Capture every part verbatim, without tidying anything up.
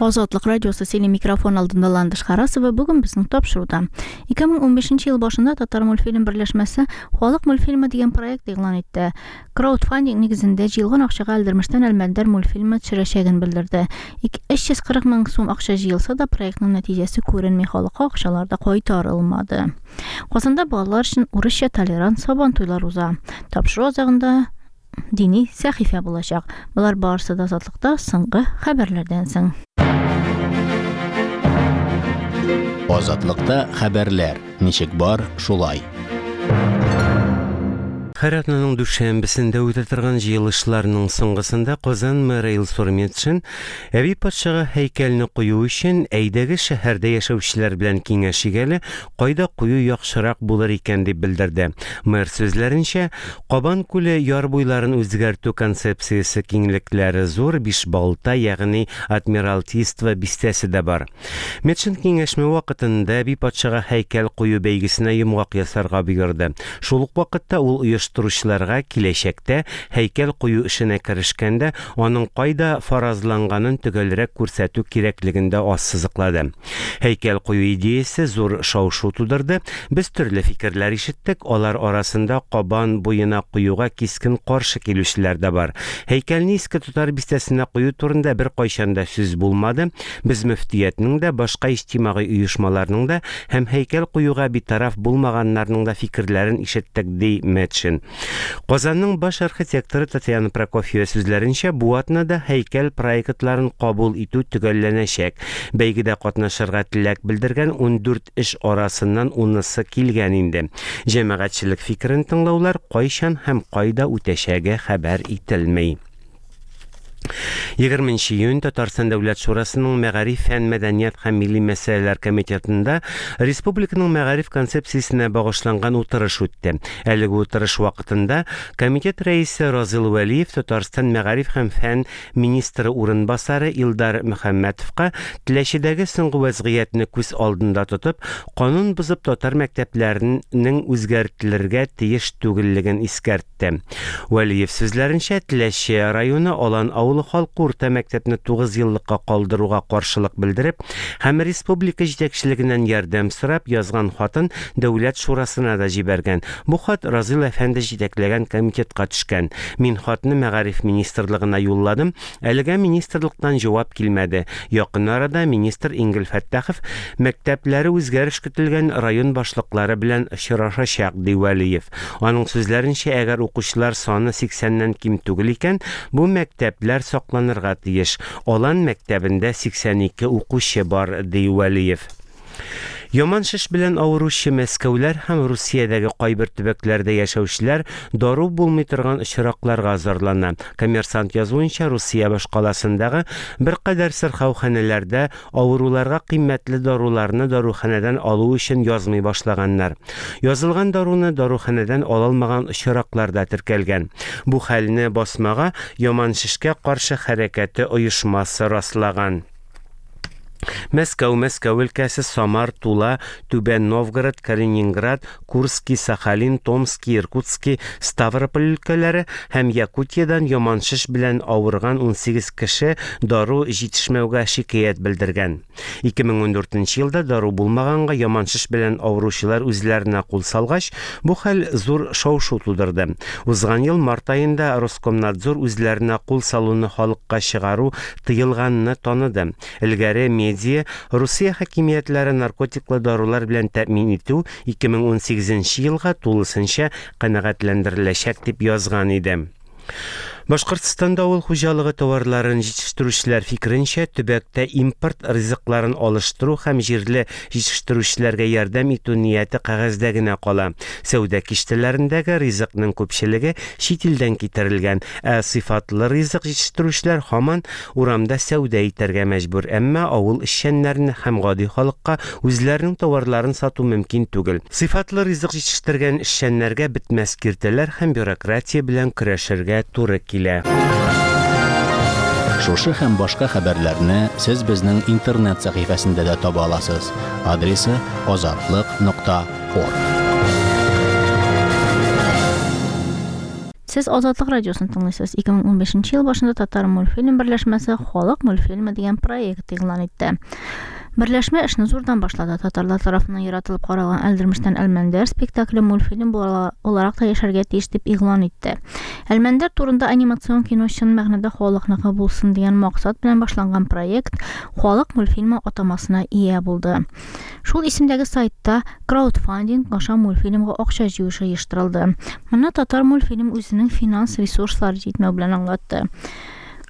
Азатлык радиосы сөйли, микрофон алдында Ландыш Харасова. Бүген безнең тапшыруда: ике мең унбишенче ел башында Татар мультфильм берләшмәсе «Халык мультфильмы» дигән проект игълан итте. Краудфандинг нигезендә җыелган акчага Әлдермештән Әлмәндәр мультфильмы төшерәчәген белдерде. өч йөз кырык мең сум акча җыелса да, проектның нәтиҗәсе күренми, халыкка акчалар да кайтарылмады. Казанда балалар өчен урысча толерант сабан туйлар уза. Тапшыру азагында дини сәхифә булачак. Болар барысы да Азатлыкта соңгы хәбәрләрдән соң. Азатлыкта хәбәрләр ничек бар, шулай. Һәр атнаның дүшәмбесендә үтә торган җыелышларның соңгысында Казан мэры Илсур Метшин Әби патшага һәйкәлне кую өчен әйдәгез, шәһәрдә яшәүчеләр белән киңәшик әле, кайда кую яхшырак булыр икән, дип белдерде. Мэр сүзләренчә, Кабан күле яр буйларын үзгәртү концепциясе киңлекләре зур Бишбалта, ягъни Адмиралтейство бистәсе дә бар. Метшин киңәшмә вакытында Әби патшага һәйкәл кую бәйгесенә йомгак ясарга боерды. Шул ук вакытта ул оештыручыларга киләчәктә һәйкәл кую эшенә керешкәндә аның кайда фаразланганын төгәлрәк күрсәтү кирәклеген дә ассызыклады. Һәйкәл кую идеясе зур шау-шу тудырды. Без төрле фикерләр ишеттек, алар арасында Кабан буена куюга кискен каршы килүчеләр дә бар. Һәйкәлне Иске Татар бистәсенә кую турында бер кайчан да сүз булмады. Без мөфтиятнең дә, башка иҗтимагый оешмаларның да һәм һәйкәл куюга битараф булмаганнарның да фикерләрен ишеттек, ди Метшин. Казанның баш архитекторы Татьяна Прокофьева сүзләренчә, бу атнада һәйкәл проектларын кабул итү төгәлләнәчәк. Бәйгедә катнашырга теләк белдергән ундүрт эш арасыннан унысы килгән инде. Җәмәгатьчелек фикерен тыңлаулар кайчан һәм кайда үтәчәге хәбәр ителми. егерменче июнь Татарстан Дәүләт Шурасының Мәгариф, фән, мәдәният һәм милли мәсьәләләр комитетында республиканың мәгариф концепциясенә багышланган утырыш үтте. Әлеге утырыш вакытында комитет рәисе Разил Вәлиев Татарстан мәгариф һәм фән министры урынбасары Илдар Мөхәммәтовка Теләчедәге соңгы вәзгыятьне күз алдында тотып, канун бозып татар мәктәпләренең үзгәртелергә тиеш түгеллеген искәртте. Вәлиев сүзләренчә, Теләче районы Алан авылы халкы урта мәктәпне тугыз еллыкка калдыруга каршылык белдереп һәм республика җитәкчелегеннән ярдәм сорап язган хатын Дәүләт шурасына да җибәргән. Бу хат Разил әфәнде җитәкләгән комитетка төшкән. Мин хатны мәгариф министрлыгына юлладым. Әлегә министрлыктан җавап килмәде. Якын арада министр Энгель Фәттахов мәктәпләре үзгәреш көтелгән район башлыклары белән очрашачак, ди Вәлиев. Аның сүзләренчә, әгәр укучылар саны сиксәннән ким түгел икән, бу мәктәпләр сакланырга тиеш. Алан мәктәбендә сиксән ике укучы бар, ди Вәлиев. Яман шеш белән авыручы мәскәүләр һәм Русиядәге кайбер төбәкләрдә яшәүчеләр дару булмый торган очракларга зарлана. Коммерсант язуынча, Русия башкаласындагы беркадәр сырхауханәләрдә авыруларга кыйммәтле даруларны даруханәдән алу өчен язмый башлаганнар. Язылган даруны даруханәдән ала алмаган очраклар да теркәлгән. Бу хәлне басмага Яман шешкә каршы хәрәкәте оешмасы раслаган. Мәскәү, Мәскәү өлкәсе, Самар, Тула, Түбән Новгород, Калининград, Курский, Сахалин, Томский, Иркутский, Ставрополь өлкәләре һәм Якутиядән яман шеш белән авырган унсигез кеше дару җитешмәүгә шикаять белдергән. ике мең ундүртенче елда дару булмаганга яман шеш белән авыручылар үзләренә кул салгач, бу хәл зур шау-шу тудырды. Узган ел март аенда Роскомнадзор үзләренә кул салуны халыкка чыгару тыелганны таныды. Элгәре медиа Русия хакимиятләре наркотиклы дарулар белән тәэмин итү ике мең унсигезенче елга тулысынча канәгатьләндереләчәк дип язган иде. Башкортстанда авыл хуҗалыгы товарларын җитештерүчеләр фикеренчә, төбәктә импорт ризыкларын алыштыру һәм җирле җитештерүчеләргә ярдәм итү нияте кәгазьдә генә кала. Сәүдә киштәләрендәге ризыкның күпчелеге чит илдән китерелгән, ә сыйфатлы ризык җитештерүчеләр һаман урамда сәүдә итәргә мәҗбүр. Әмма авыл эшчәннәренә һәм гади халыкка үзләренең товарларын сату мөмкин түгел. Сыйфатлы ризык җитештергән эшчәннәргә бетмәс киртәләр һәм бюрократия белән көрәшергә туры килә. Шушы һәм башка хәбәрләрне сез безнең интернет сәхифәсендә дә таба аласыз. Адресы азатлык нокта орг. Сез Азатлык радиосын тыңлыйсыз. ике мең унбишенче ел башында Татар мультфильм берләшмәсе Халык мультфильмы дигән проект игълан итте. Берләшмә эшне зурдан башлады. Татарлар тарафыннан яратылып каралган Әлдермештән Әлмәндәр спектакле мультфильм буларак та яшәргә тиеш дип игълан итте. Әлмәндәр турында анимацион кино чын мәгънәдә халыкныкы булсын дигән максат белән башланган проект Халык мультфильмы атамасына ия булды. Шул исемдәге сайтта краудфандинг аша мультфильмга акча җыю оештырылды. Моны Татар мультфильм үзенең финанс ресурслары җитмәү белән аңлатты.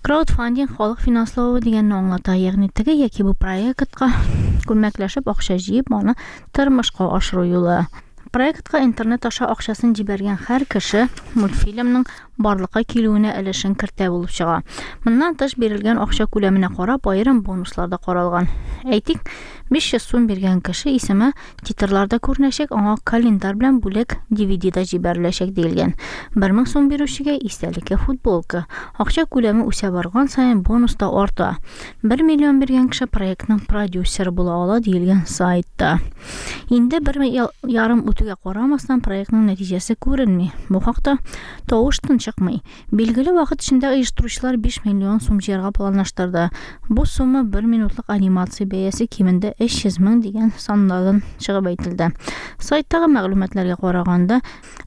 Краудфандинг халык финанславы дигәнне аңлата, ягъни теге яки бу проектка күмәкләшеп акча җыеп, аны тормышка ашыру юлы. Проектка интернет аша акчасын җибәргән һәр кеше мультфильмның барлыкка килүенә өлешен кертә булып чыга. Моннан тыш бирелгән акча күләменә карап аерым бонуслар да каралган. Әйтик, биш йөз сум биргән кеше исеме титрларда күренәчәк, аңа календарь белән бүләк ди ви ди да җибәреләчәк диелгән. Бер мең сум бирүчегә истәлеккә футболка. Акча күләме үсә барган саен бонус та арта. Бер миллион биргән кеше проектның продюсеры була ала диелгән сайтта. Инде бер ярым үтүгә карамастан проектның нәтиҗәсе күренми. Бу хакта тавыш тын чыкмый. Билгеле вакыт эчендә оештыручылар биш миллион сум җыярга планлаштырды. Бу сумма бер минутлык анимация бәясе кимендә өч йөз мең дигән саннардан чыгып әйтелде. Сайттагы мәгълүматларга караганда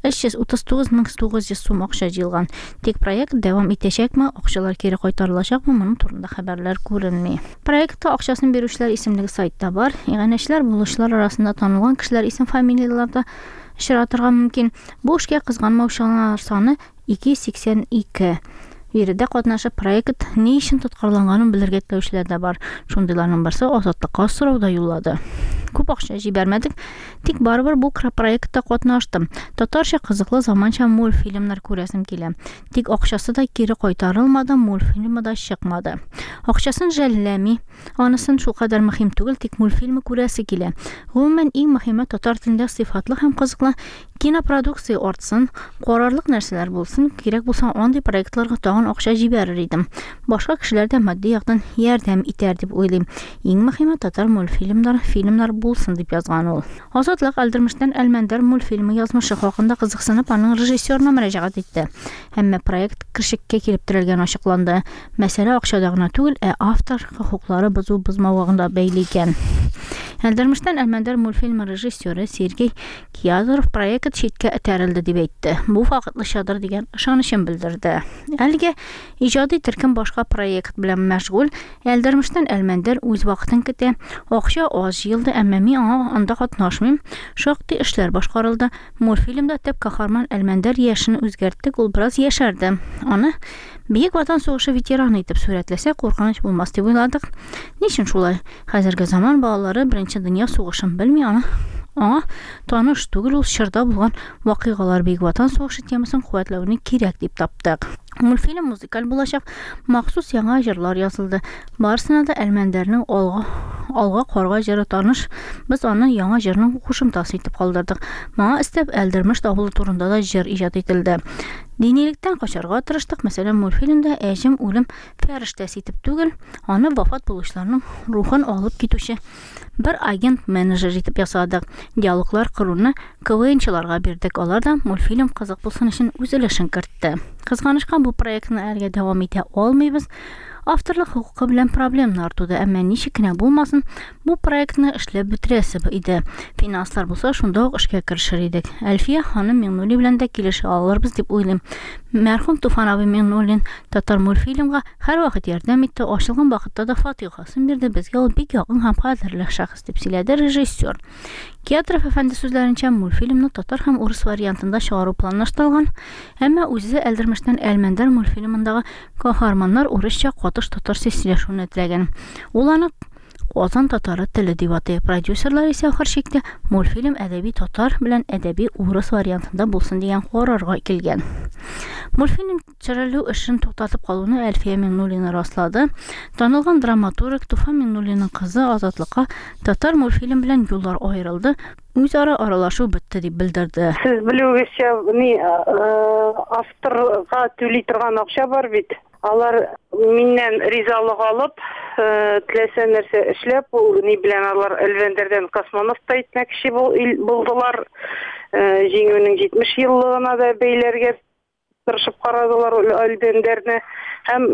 өч йөз утыз тугыз мең тугыз йөз сум акча җыелган. Тик проект дәвам итәчәкме, акчалар кире кайтарылачакмы, моның турында хәбәрләр күренми. Проектта акчасын бирүчеләр исемлеге сайтта бар. Иганәчеләр, булышчылар арасында танылган кешеләр исем-фамилияләр дә очратырга мөмкин. Бу эшкә кызганмаучылар саны ике йөз сиксән ике. Биредә катнашып проект ни өчен тоткарланганын белергә теләүчеләр дә бар. Шундыйларның берсе Азатлыкка сорау да юллады. Күп акча җибәрмәдек, тик барыбер бу проектта катнаштым. Татарча кызыклы заманча мультфильмнар күрәсем килә. Тик акчасы да кире кайтарылмады, мультфильмы да чыкмады. Акчасын жәлләми, анысын шулкадәр мөһим түгел, тик мультфильмы күрәсе килә. Гомумән, иң мөһиме татар телендә сыйфатлы һәм кызыклы кинопродукция артсын, карарлык нәрсәләр булсын, кирәк булса андый проектларга тагын акча җибәрер идем. Башка кешеләр дә матди яктан ярдәм итәр дип уйлыйм. Иң мөһиме татар мультфильмнар, фильмнар булсын дип язган ул. Азатлык Әлдермештән Әлмәндәр мультфильмы язмышы хакында кызыксынып аның режиссерына мөрәҗәгать итте. Әмма проект кешеккә килеп терәлгән ачыкланды. Мәсьәлә акчада гына түгел, ә автор хокуклары бозу бозмавыгында бәйле икән. Әлдермештән Әлмәндәр мультфильмы режиссеры Сергей Киязов проект читкә этәрелде дип әйтте. Бу вакытлычадыр дигән ышанычын белдерде. Әлегә иҗади төркем башка проект белән мәшгуль. Әлдермештән Әлмәндәр үз вакытын көтә. Акча аз җыелды, әмма мин аңа анда катнашмыйм. Шактый эшләр башкарылды. Мультфильмда төп каһарман Әлмәндәр яшен үзгәрттек, ул бераз яшәрде. Аны Бөек Ватан сугышы ветераны итеп сурәтләсә, куркыныч булмас дип уйладык. Ни өчен шулай? Хәзерге заман балалары Беренче дөнья сугышын белми, аны аңа таныш түгел, ул чорда булган вакыйгалар Бөек Ватан сугышы темасын куәтләүне кирәк дип таптык. Мультфильм музыкаль булачак, махсус яңа җырлар язылды. Барысына да Әлмәндәрнең алга алга карга җыры таныш. Без аны яңа җырның кушымтасы итеп калдырдык. Моңа өстәп Әлдермеш авылы турында да җыр иҗат ителде. Динилектән качарга тырыштык. Мәсәлән, мультфильмда Әҗем үлем фәрештәсе итеп түгел, аны вафат булучыларның рухын алып китүче бер агент-менеджер итеп ясадык. Диалоглар коруны КВНчыларга бирдек. Алар да мультфильм кызык булсын өчен үз өлешен кертте. Кызганычка, бу проектны әлегә дәвам итә алмыйбыз. Авторлык хокукы белән проблемнар туды, әмма ничек кенә булмасын, бу проектны эшләп бетерәсе иде. Финанслар булса, шунда ук эшкә керешер идек. Әлфия ханым Миңнуллина белән дә килешә алырбыз дип уйлыйм. Мәрхүм Туфан абый Миңнуллин татар мультфильмга һәрвакыт ярдәм итте, ачылган вакытта да фатихасын бирде. Безгә ул бик якын һәм кадерле шәхес дип сөйләде режиссер. Киатров әфәнде сүзләренчә, мультфильмны татар һәм урыс вариантында чыгару планлаштырылган, әмма үзе Әлдермештән Әлмәндәр мультфильмындагы каһарманнар урысча катыш татарча сөйләшүне теләгән. Ул аны Казан татары теле дип атый. Продюсерлар исә ахыр чиктә мультфильм әдәби татар белән әдәби урыс вариантында булсын дигән карарга килгән. Мультфильм төшерелү эшен туктатып калуны Әлфия Миңнуллина раслады. Танылган драматург Туфан Миңнуллинның кызы Азатлыкка татар мультфильм белән юллар аерылды, үзара аралашу бетте дип белдерде. Сез белүегезчә, ни авторга түли торган акча бар бит. Алар миннән ризалык алып, теләсә нәрсә эшләп, ул ни белән алар Әлмәндәрдән космонавт та итмәкче булдылар. Җиңүнең җитмеш еллыгына да бәйләргә Тырышып карадылар Әлмәндәрне һәм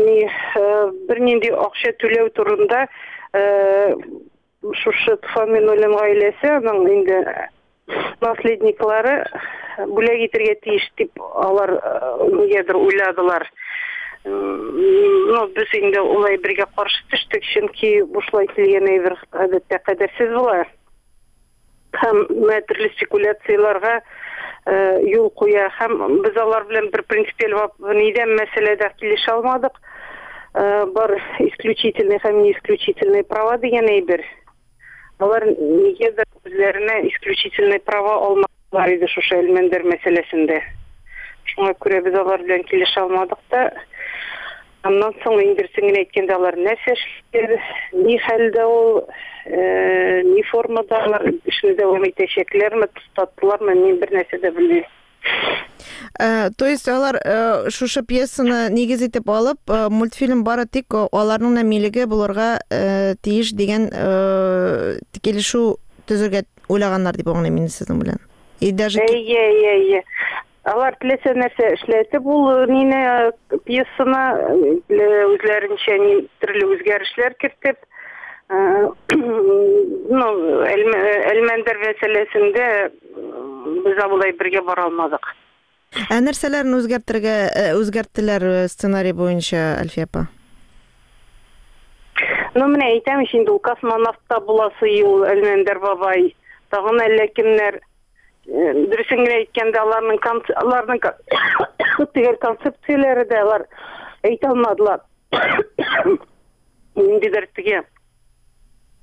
ни бернинди акча түләү турында шушы Туфан Миңнуллин гаиләсе, аның инде наследниклары бүләк итәргә тиеш дип алар нигәдер уйладылар. Ну, без инде улай бергә каршы төштек, чөнки бушлай килгән әйбер гадәттә кадерсез була. Һәм төрле спекуляцияләргә юл куя. Һәм без алар белән бер принципиаль нидән мәсьәләдә килешә алмадык. Бар исключительный һәм не исключительный права дигән әйбер. Алар нигәдер үзләренә исключительный права алмадылар иде шушы Әлмәндәр мәсьәләсендә. Шуңа күрә без алар белән килешә алмадык та. Аннан соң инде генә әйткәндә алар нәрсә эшләр, ни хәлдә ул, ни формада алар эшне дәвам итәчәкләрме, туктаттылармы, мин бер нәрсә дә белмим. То есть алар шушы пьесаны нигез итеп алып, мультфильм бары тик аларның милеге булырга тиеш дигән килешү төзергә уйлаганнар дип аңлыйм инде сезнең белән. И даже Әйе, әйе, әйе. Алар теләсә нәрсә эшләтеп, ул нине пьесаны үзләренчә төрле үзгәрешләр кертеп, ну, Әлмәндәр мәсьәләсендә без алай бергә бара алмадык. Ә нәрсәләрен үзгәртергә үзгәрттеләр сценарий буенча, Әлфия апа? Ну, менә әйтәм ич инде, ул космонавтта буласы ул Әлмәндәр бабай, тагын әллә кемнәр. Дөресен генә әйткәндә, аларның аларның төгәл концепцияләре дә алар әйтә алмадылар. Ниндидер теге,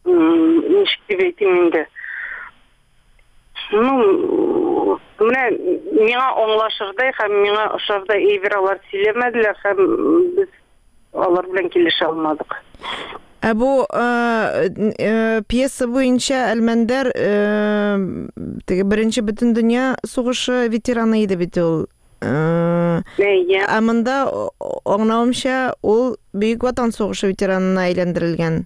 ничек дип әйтим инде. Ну, менә миңа аңлашырдай һәм миңа ошардай әйбер алар сөйләмәделәр һәм без алар белән килешә алмадык. Ә бу пьеса буенча Әлмәндәр теге беренче бөтендөнья сугышы ветераны иде бит ул. Әйе. Ә монда аңлавымча ул Бөек Ватан сугышы ветеранына әйләндерелгән.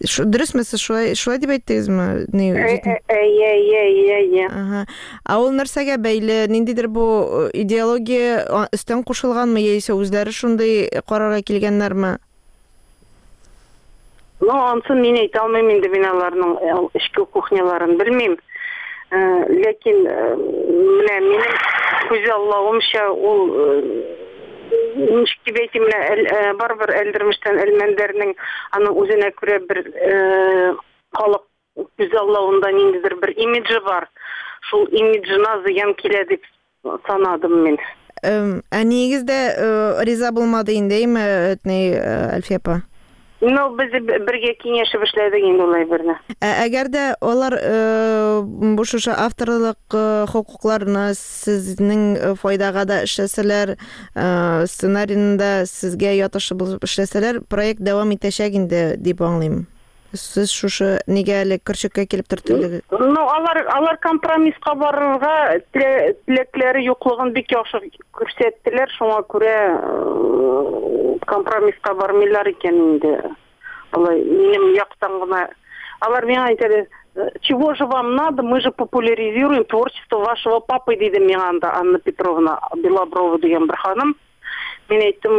Дөресме, сез шулай шулай дип әйттегезме? Әйе, әйе, әйе, әйе. Ага. Ә ул нәрсәгә бәйле? Ниндидер бу идеология өстән кушылганмы, яисә үзләре шундый карарга килгәннәрме? Ну, ансын мин әйтә алмыйм инде, мин аларның эчке кухняларын белмим. Ләкин менә минем күзаллавымча ул ничек дип әйтим, менә барыбер Әлдермештән Әлмәндәрнең аның үзенә күрә бер халык күзаллавында ниндидер бер имиджы бар. Шул имиджына зыян килә дип санадым мин. Әниегез дә риза булмады инде, әйме, Әлфия апа? Ну, без бергә киңәшеп эшләдек инде улай берне. Әгәр дә алар бу шушы авторлык хокукларны сезнең файдага да эшләсәләр, сценарийны да сезгә ятышы булып эшләсәләр, проект дәвам итәчәк инде дип аңлыйм. Сез шушы нигә әле көрчеккә килеп төртелдегез? Ну, алар алар компромисска барырга теләкләре юклыгын бик яхшы күрсәттеләр, шуңа күрә компромисска бармыйлар икән инде. Алай минем яктан гына алар миңа әйтәләр, чего же вам надо, мы же популяризируем творчество вашего папы, диде миңа анда Анна Петровна Белоброва дигән бер ханым. Мин әйттем,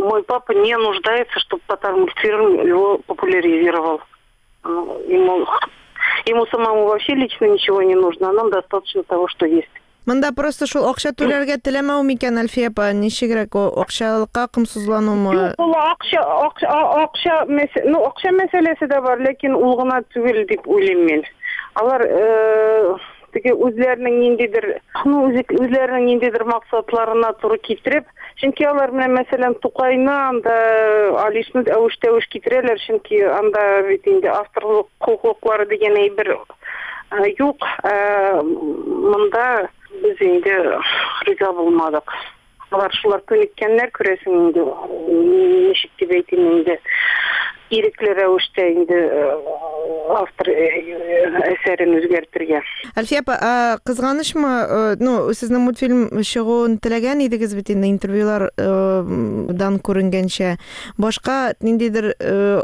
мой папа не нуждается, чтобы Татармультфильм его популяризировал. Ему, ему самому вообще лично ничего не нужно, а нам достаточно того, что есть. Монда просто шул акча түләргә теләмәү микән, Әлфия апа, ничегрәк акчалыкка комсызланумы? Юк, ул акча, акча, акча, ну, акча мәсьәләсе дә бар, ләкин ул гына түгел дип уйлыйм мин. Алар теге үзләренең ниндидер, ну, үзләренең ниндидер максатларына туры китереп, чөнки алар менә мәсәлән Тукайны анда Алишны әвеш-тәвеш китерәләр, чөнки анда бит инде авторлык хокуклары дигән әйбер юк. Монда без инде риза булмадык. Алар шулар күнеккәннәр, күрәсең инде, ничек дип әйтим инде, ирекле рәвештә инде автор әсәрен үзгәртергә. Әлфия апа, кызганычмы, ну, сезнең мультфильм чыгуын теләгән идегез бит инде интервьюлардан күренгәнчә. Башка ниндидер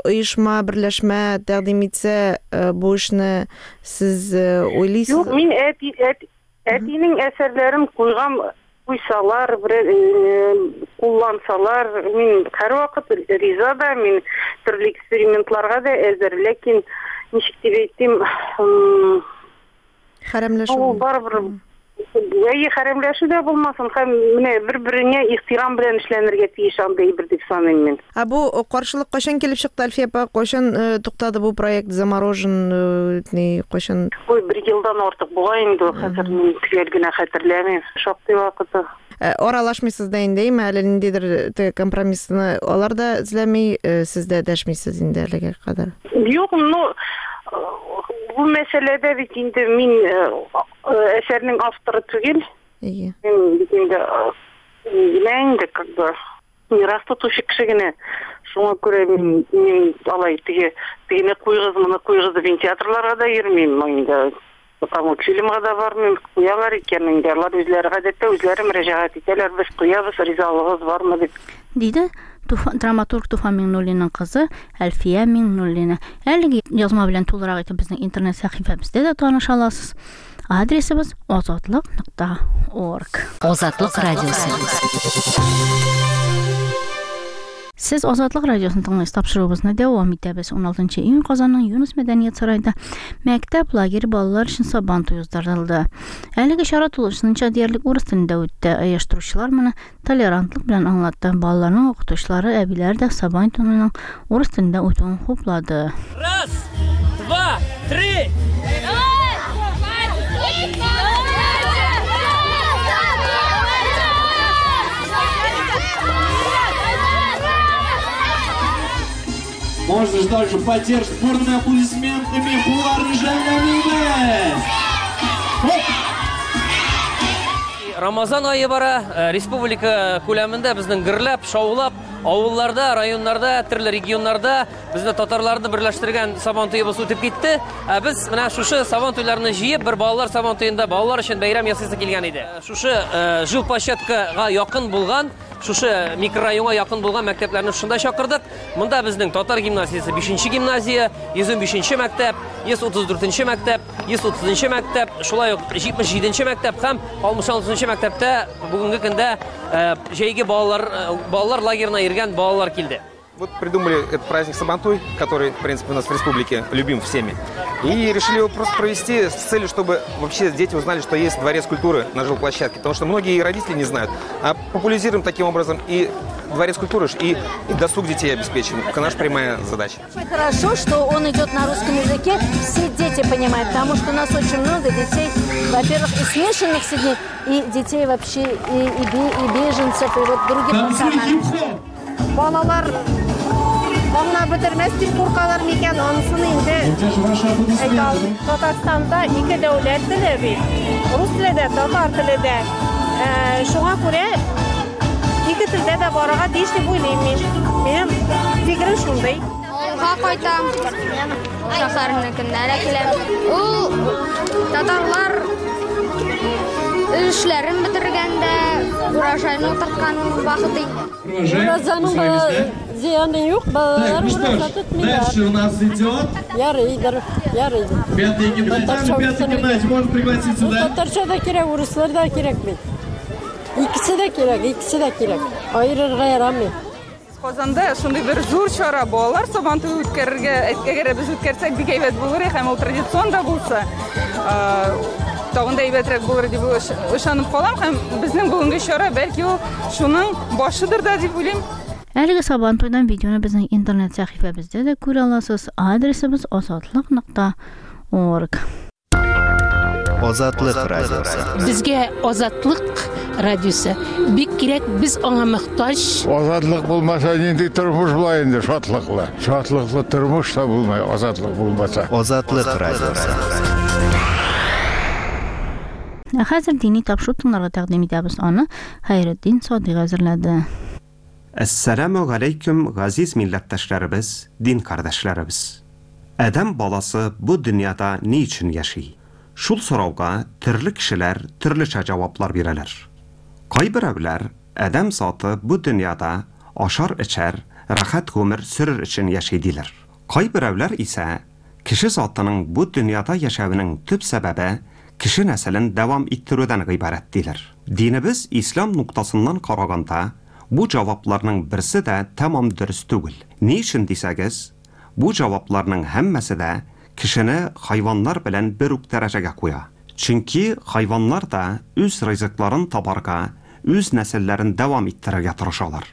оешма, берләшмә тәкъдим итсә, бу эшне сез уйлыйсыз? Юк, мин әти, әти, әтинең әсәрләрен куйган Куйсалар, куллансалар, мин һәрвакыт риза да, мин төрле экспериментларга да әзер, ләкин ничек дип әйтим, хәрәмләшү. Ул барыбер әйе, хәрәмләшү дә булмасын, һәм менә бер-береңә ихтирам белән эшләнергә тиеш андый бер дип саныйм мин. Ә бу каршылык кайчан килеп чыкты, Әлфия апа? Кайчан туктады бу проект, заморожен, ни, кайчан? Ой, бер елдан артык була инде, хәзер мин төгәл генә хәтерләмим. Шактый вакыты. Аралашмыйсыз да инде, әйме, әле ниндидер компромиссны алар да эзләми, сез дә дәшмисез инде әлегә кадәр. Юк, ну бу мәсьәләдә бит инде мин әсәрнең авторы түгел. Әйе. Мин бит инде генә инде как бы мирас тотучы кеше генә. Шуңа күрә мин, мин алай теге тегене куйгыз, моны куйгыз дип театрларга да йөрмим инде. Потому фильмга да бармыйм, куялар икән инде. Алар үзләре гадәттә үзләре мөрәҗәгать итәләр, без куябыз, ризалыгыз бармы дип. Диде Туфан, драматург Туфан Миңнуллинның кызы Әлфия Миңнуллина. Әлеге язма белән тулырак итеп безнең интернет сәхифәбездә дә таныша аласыз. Адресыбыз азатлык нокта орг. Азатлык радиосы. Сез Азатлык радиосын тыңлыйсыз. Тапшыруыбызны дәвам итәбез. ун алтынчы июнь Казанның Юныс мәдәният сараенда мәктәп лагерь балалар өчен Сабан туе уздырылды. Әлеге чара тулысынча диярлек урыс телендә үтте. Оештыручылар моны толерантлык белән аңлатты. Балаларның укытучылары, әбиләр дә Сабан туеның урыс телендә үтүен хуплады. Раз, два, три. Можно же также поддержать бурными аплодисментами Рамазан айы бара, республика күләмендә безнең гөрләп, шаулап, авылларда, районнарда, төрле регионнарда безне татарларны берләштергән Сабан туебыз үтеп китте. Ә без менә шушы Сабан туйларны җыеп, бер балалар Сабан туенда балалар өчен бәйрәм ясыйсы килгән иде. Шушы жилплощадкага якын булган, шушы микрорайонга якын булган мәктәпләрне шунда чакырдык. Монда безнең татар гимназиясе бишенче гимназия, йөз унбишенче мәктәп, йөз утыз дүртенче мәктәп, йөз утызынчы мәктәп, шулай ук җитмеш җиденче мәктәп һәм алтмыш алтынчы мәктәптә бүгенге көндә җәйге балалар балалар лагерына йөргән балалар килде. Вот придумали этот праздник Сабантуй, который, в принципе, у нас в республике любим всеми. И решили его просто провести с целью, чтобы вообще дети узнали, что есть дворец культуры на жилплощадке. Потому что многие родители не знают. А популяризируем таким образом и дворец культуры, и, и досуг детей обеспечим. Это наша прямая задача. Хорошо, что он идет на русском языке, все дети понимают, потому что у нас очень много детей, во-первых, и смешанных семей, и детей вообще, и, и, и беженцев, и вот других национальностей. Балалар аңлап бетермәс дип куркалар микән, анысын инде әйтә алмыйм. Татарстанда ике дәүләт теле бит. Рус теле дә, татар теле дә. Шуңа күрә ике телдә дә барырга тиеш дип уйлыйм мин. Минем фикерем шундый. Авылга кайтам, шәһәрнекеннән киләм. Ул татарлар эшләрен бетергәндә урожайны утырткан вакыт инде. Уразаның зыяны юк, балалар ураза тотмыйлар. Дальше у нас идет. Ярыйдыр, ярыйдыр. Пятый гимназия, пятый гимназия, можно пригласить сюда. Татарча да кирәк, урыслар да кирәк бит. Икесе дә кирәк, икесе дә кирәк. Аерырга ярамый. Казанда шундый бер зур чара балалар Сабан туе үткәрергә, әгәр без үткәрсәк, бик әйбәт булыр, һәм ул традицион да булса, тагын да әйбәтрәк булыр дип ышанып калам, һәм безнең бүгенге чара бәлки ул шуның башыдыр да дип уйлыйм. Әлеге Сабан туйдан видеоны безнең интернет сәхифәбездә дә күрә аласыз. Адресыбыз азатлык нокта орг. Азатлык радиосы. Безгә Азатлык радиосы бик кирәк, без аңа мохтаҗ. Азатлык булмаса нинди тормыш була инде, шатлыклы. Шатлыклы тормыш та булмай, азатлык булмаса. Азатлык радиосы. Ә хәзер дини тапшыру тыңларга тәкъдим итәбез. Аны Хәйретдин Садыйк әзерләде. Әссәламу галәйкүм, газиз милләттәшләребез, дин кардәшләребез. Адәм баласы бу дөньяда ни өчен яши? Шул сорауга төрле кешеләр төрлечә җаваплар бирәләр. Кайберәүләр адәм заты бу дөньяда ашар-эчәр, рәхәт гомер сөрер өчен яши диләр. Кайберәүләр исә кеше затының бу дөньяда яшәвенең төп сәбәбе кеше нәселен дәвам иттерүдән гыйбарәт диләр. Динебез ислам ноктасыннан караганда, бу җавапларның берсе дә тәмам дөрес түгел. Ни өчен дисәгез, бу җавапларның һәммәсе дә кешене хайваннар белән бер үк дәрәҗәгә куя. Чөнки хайваннар да үз ризыкларын табарга, үз нәселләрен дәвам иттерергә тырышалар.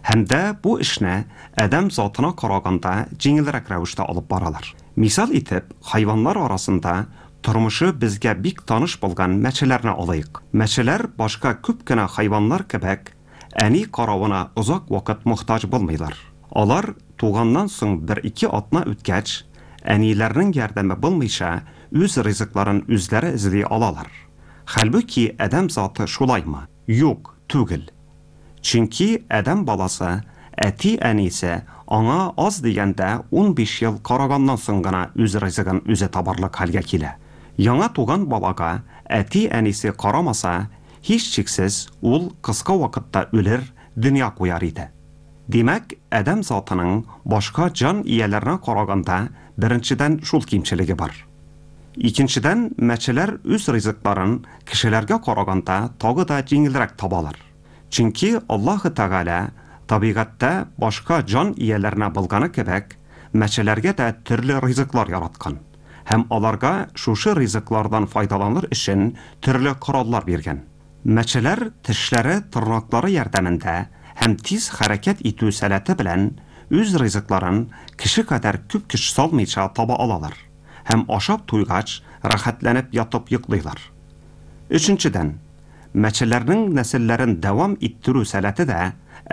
Һәм дә бу эшне адәм затына караганда җиңелрәк рәвештә алып баралар. Мисал итеп, хайваннар арасында тормышы безгә бик таныш булган мәчеләрне алыйк. Мәчеләр башка күп кенә хайваннар кебек әни каравына озак вакыт мохтаҗ булмыйлар. Алар туганнан соң бер-ике атна үткәч, әниләрнең ярдәме булмыйча үз ризыкларын үзләре эзли алалар. Хәлбуки адәм заты шулаймы? Юк, түгел. Чөнки адәм баласы әти-әнисе аңа аз дигәндә унбиш ел караганнан соң гына үз ризыгын үзе табарлык хәлгә килә. Яңа туган балага әти-әнисе карамаса, һичшиксез ул кыска вакытта үлер, дөнья куяр иде. Димәк, адәм затының башка җан ияләренә караганда беренчедән шул кимчелеге бар. Икенчедән, мәчеләр үз ризыкларын кешеләргә караганда тагы да җиңелрәк табалар. Чөнки Аллаһы Тәгалә табигатьтә башка җан ияләренә булганы кебек, мәчеләргә дә төрле ризыклар яраткан һәм аларга шушы ризыклардан файдаланыр өчен төрле кораллар биргән. Мәчеләр тешләре, тырнаклары ярдәмендә һәм тиз хәрәкәт итү сәләте белән үз ризыкларын кеше кадәр күп көч салмыйча таба алалар һәм ашап туйгач рәхәтләнеп ятып йоклыйлар. Өченчедән, мәчеләрнең нәселләрен дәвам иттерү сәләте дә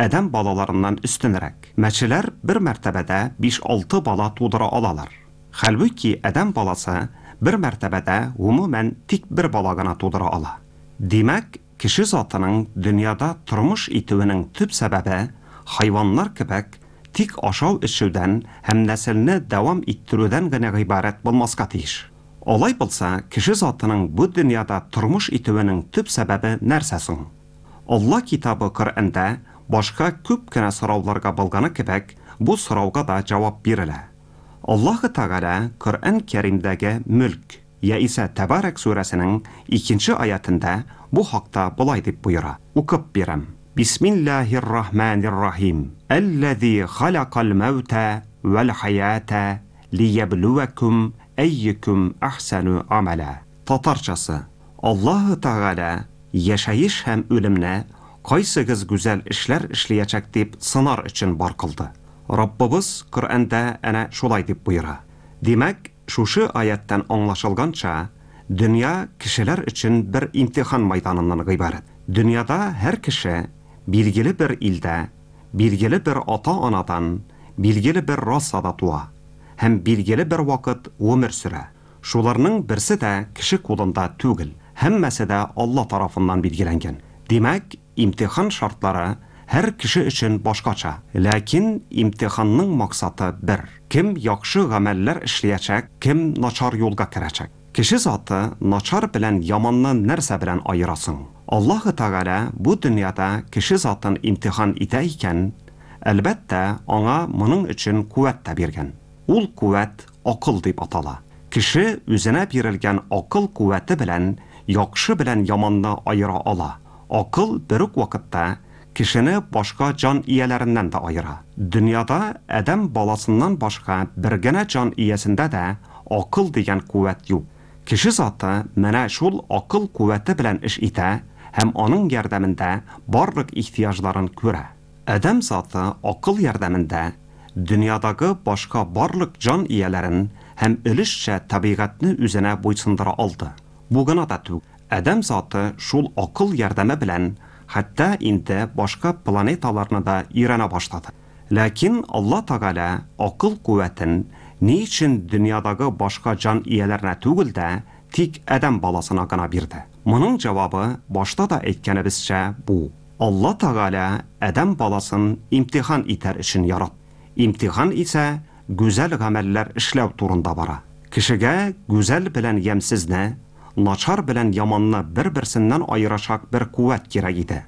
адәм балаларыннан өстенрәк. Мәчеләр бер мәртәбәдә биш-алты бала тудыра алалар. Хәлбуки адәм баласы бер мәртәбәдә гомумән тик бер бала гына тудыра ала. Димәк, кеше затының дөньяда тормыш итүенең төп сәбәбе хайваннар кебек тик ашау-эчүдән һәм нәселне дәвам иттерүдән генә гыйбарәт булмаска тиеш. Алай булса, кеше затының бу дөньяда тормыш итүенең төп сәбәбе нәрсә соң? Алла китабы Коръәндә башка күп кенә сорауларга булганы кебек, бу сорауга да җавап бирелә. Аллаһы Тәгалә Коръән Кәримдәге Мөлк яисә Тәбарәк сүрәсенең икенче аятында бу хакта болай дип боера. Укып бирәм. Бисмиллаһир-рахманир-рахим. Әлләзи халакал мәүтә вәл хаята лияблуакум әййүкүм әхсәну амәлә. Татарчасы: Аллаһы Тәгалә яшәеш һәм үлемне кайсыгыз гүзәл эшләр эшләячәк дип сынар өчен бар кылды. Раббыбыз Коръәндә әнә шулай дип боера. Димәк, шушы аяттан аңлашылганча, дөнья кешеләр өчен бер имтихан майданыннан гыйбарәт. Дөньяда һәр кеше билгеле бер илдә, билгеле бер ата-анадан, билгеле бер расада туа һәм билгеле бер вакыт гомер сөрә. Шуларның берсе дә кеше кулында түгел, һәммәсе дә Алла тарафыннан билгеләнгән. Димәк, имтихан шартлары һәр кеше өчен башкача. Ләкин имтиханның максаты бер: кем яхшы гамәлләр эшләячәк, кем начар юлга керәчәк. Кеше заты начар белән яманны нәрсә белән аерасың? Аллаһы Тәгалә бу дөньяда кеше затын имтихан итә икән, әлбәттә, аңа моның өчен куәт тә биргән. Ул куәт акыл дип атала. Кеше үзенә бирелгән акыл куәте белән яхшы белән яманны аера ала. Акыл бер үк вакытта кешене башка җан ияләреннән дә аера. Дөньяда адәм баласыннан башка бер генә җан иясендә дә акыл дигән куәт юк. Кеше заты менә шул акыл куәте белән эш итә һәм аның ярдәмендә барлык ихтыяҗларын күрә. Адәм заты акыл ярдәмендә дөньядагы башка барлык җан ияләрен һәм өлешчә табигатьне үзенә буйсындыра алды. Бу гына да түгел, адәм заты шул акыл ярдәме белән хәтта инде башка планеталарны да өйрәнә башлады. Ләкин Алла Тәгалә акыл куәтен ни өчен дөньядагы башка җан ияләренә түгел дә, тик адәм баласына гына бирде? Моның җавабы башта да әйткәнебезчә бу: Алла Тәгалә адәм баласын имтихан итәр өчен яратты. Имтихан исә гүзәл гамәлләр эшләү турында бара. Кешегә гүзәл белән ямьсезне, начар белән яманны бер-берсеннән аерачак бер куәт кирәк иде.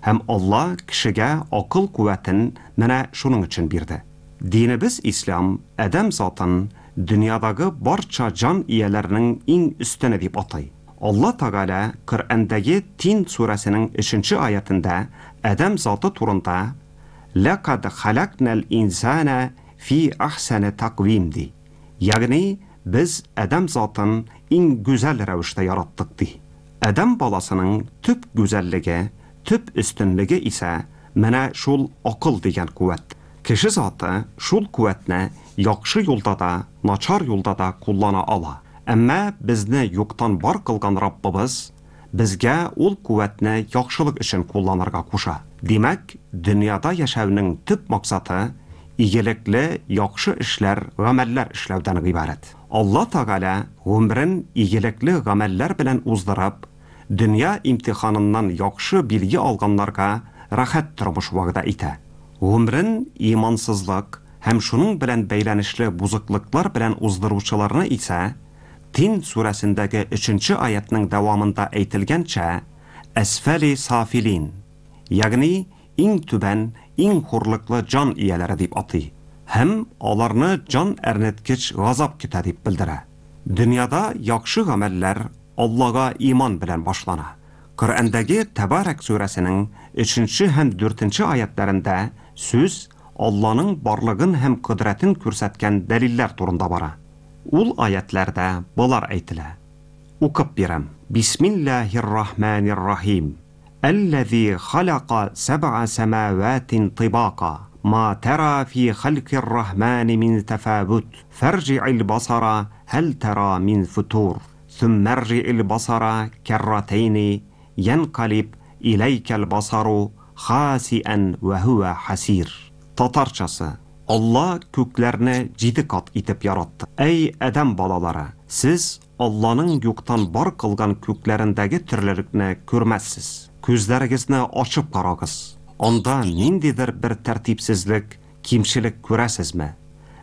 Һәм Алла кешегә акыл куәтен менә шуның өчен бирде. Динебез ислам адәм затын дөньядагы барча җан ияләренең иң өстене дип атый. Алла Тәгалә Коръәндәге Тин сүрәсенең өченче аятында адәм заты турында «Ләкад халакнал инсана фи ахсани таквим» ди. Ягъни без адәм затын иң гүзәл рәвештә яраттык ди. Адәм баласының төп гүзәллеге, төп өстенлеге исә менә шул акыл дигән куәт. Кеше заты шул куәтне яхшы юлда да, начар юлда да куллана ала. Әмма безне юктан бар кылган Раббыбыз безгә ул куәтне яхшылык өчен кулланырга куша. Димәк, дөньяда яшәүнең төп максаты игелекле яхшы эшләр, гамәлләр эшләүдән гыйбарәт. Алла Тәгалә гомерен игелекле гамәлләр белән уздырып, дөнья имтиханыннан яхшы билге алганнарга рәхәт тормыш вәгъдә итә. Гомерен имансызлык һәм шуның белән бәйләнешле бузыклыклар белән уздыручыларны исә Тин сүрәсендәге өченче аятның дәвамында әйтелгәнчә әсфәли сафилин, ягъни иң түбән, иң хурлыклы җан ияләре дип атый һәм аларны җан әрнеткеч газап көтә дип белдерә. Дөньяда яхшы гамәлләр Аллага иман белән башлана. Коръәндәге Тәбарәк сүрәсенең өченче һәм дүртенче аятларында сүз Алланың барлыгын һәм кодрәтен күрсәткән дәлилләр турында бара. Ул аятларда болар әйтелә. Укып бирәм. Бисмиллаһир-рахманир-рахим. Әлләзи халака сәб'a сәмаватин тибака. Ма тара фи халкир-рахмани мин тафавут. Фарҗи'ил басара һәл тара мин футур. Сумма арҗи'ил басара карратайни янкалиб иләйкәл басару хасиан ва хуа хасир. Татарчасы: Алла күкләрне җиде кат итеп яратты. Әй адәм балалары, сез Алланың юктан бар кылган күкләрендәге төрлелекне күрмәссез. Күзләрегезне ачып карагыз. Анда ниндидер бер тәртипсезлек, кимчелек күрәсезме?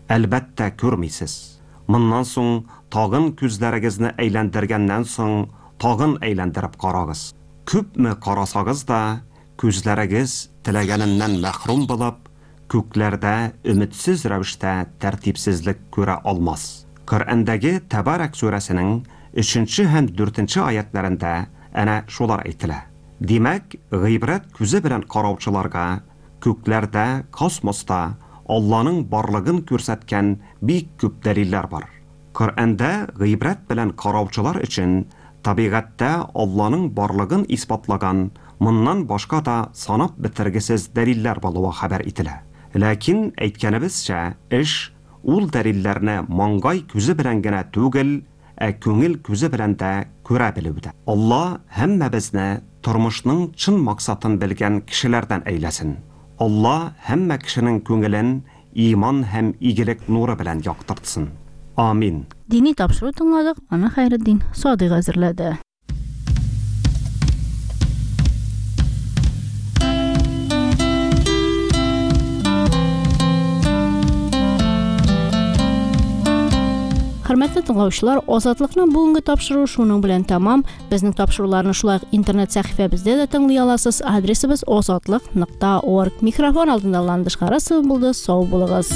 Әлбәттә күрмисез. Моннан соң тагын күзләрегезне әйләндергәннән соң тагын әйләндереп карагыз. Күпме карасагыз да, күзләрегез теләгәненнән мәхрүм булып, күкләрдә өметсез рәвештә тәртипсезлек күрә алмас. Коръәндәге Тәбарәк сүрәсенең өченче һәм дүртенче аятларында әнә шулар әйтелә. Димәк, гыйбрәт күзе белән караучыларга күкләрдә, космоста Алланың барлыгын күрсәткән бик күп дәлилләр бар. Коръәндә гыйбрәт белән караучылар өчен табигатьтә Алланың барлыгын исбатлаган моннан башка да санап бетергесез дәлилләр булуы хәбәр ителә. Ләкин әйткәнебезчә, эш ул дәлилләрне маңгай күзе белән генә түгел, ә күңел күзе белән дә күрә белүдә. Алла һәммәбезне тормышның чын максатын белгән кешеләрдән әйләсен. Алла һәммә кешенең күңелен иман һәм игелек нуры белән яктыртсын. Амин. Дини тапшыру тыңладык, аны Хәйретдин Садыйк әзерләде. Хөрмәтле тыңлаучылар, Азатлыкның бүгенге тапшыруы шуның белән тәмам. Безнең тапшыруларны шулай ук интернет сәхифәбездә дә тыңлый аласыз. Адресыбыз азатлык нокта орг. Микрофон алдында Ландыш Харасова булды. Сау булыгыз.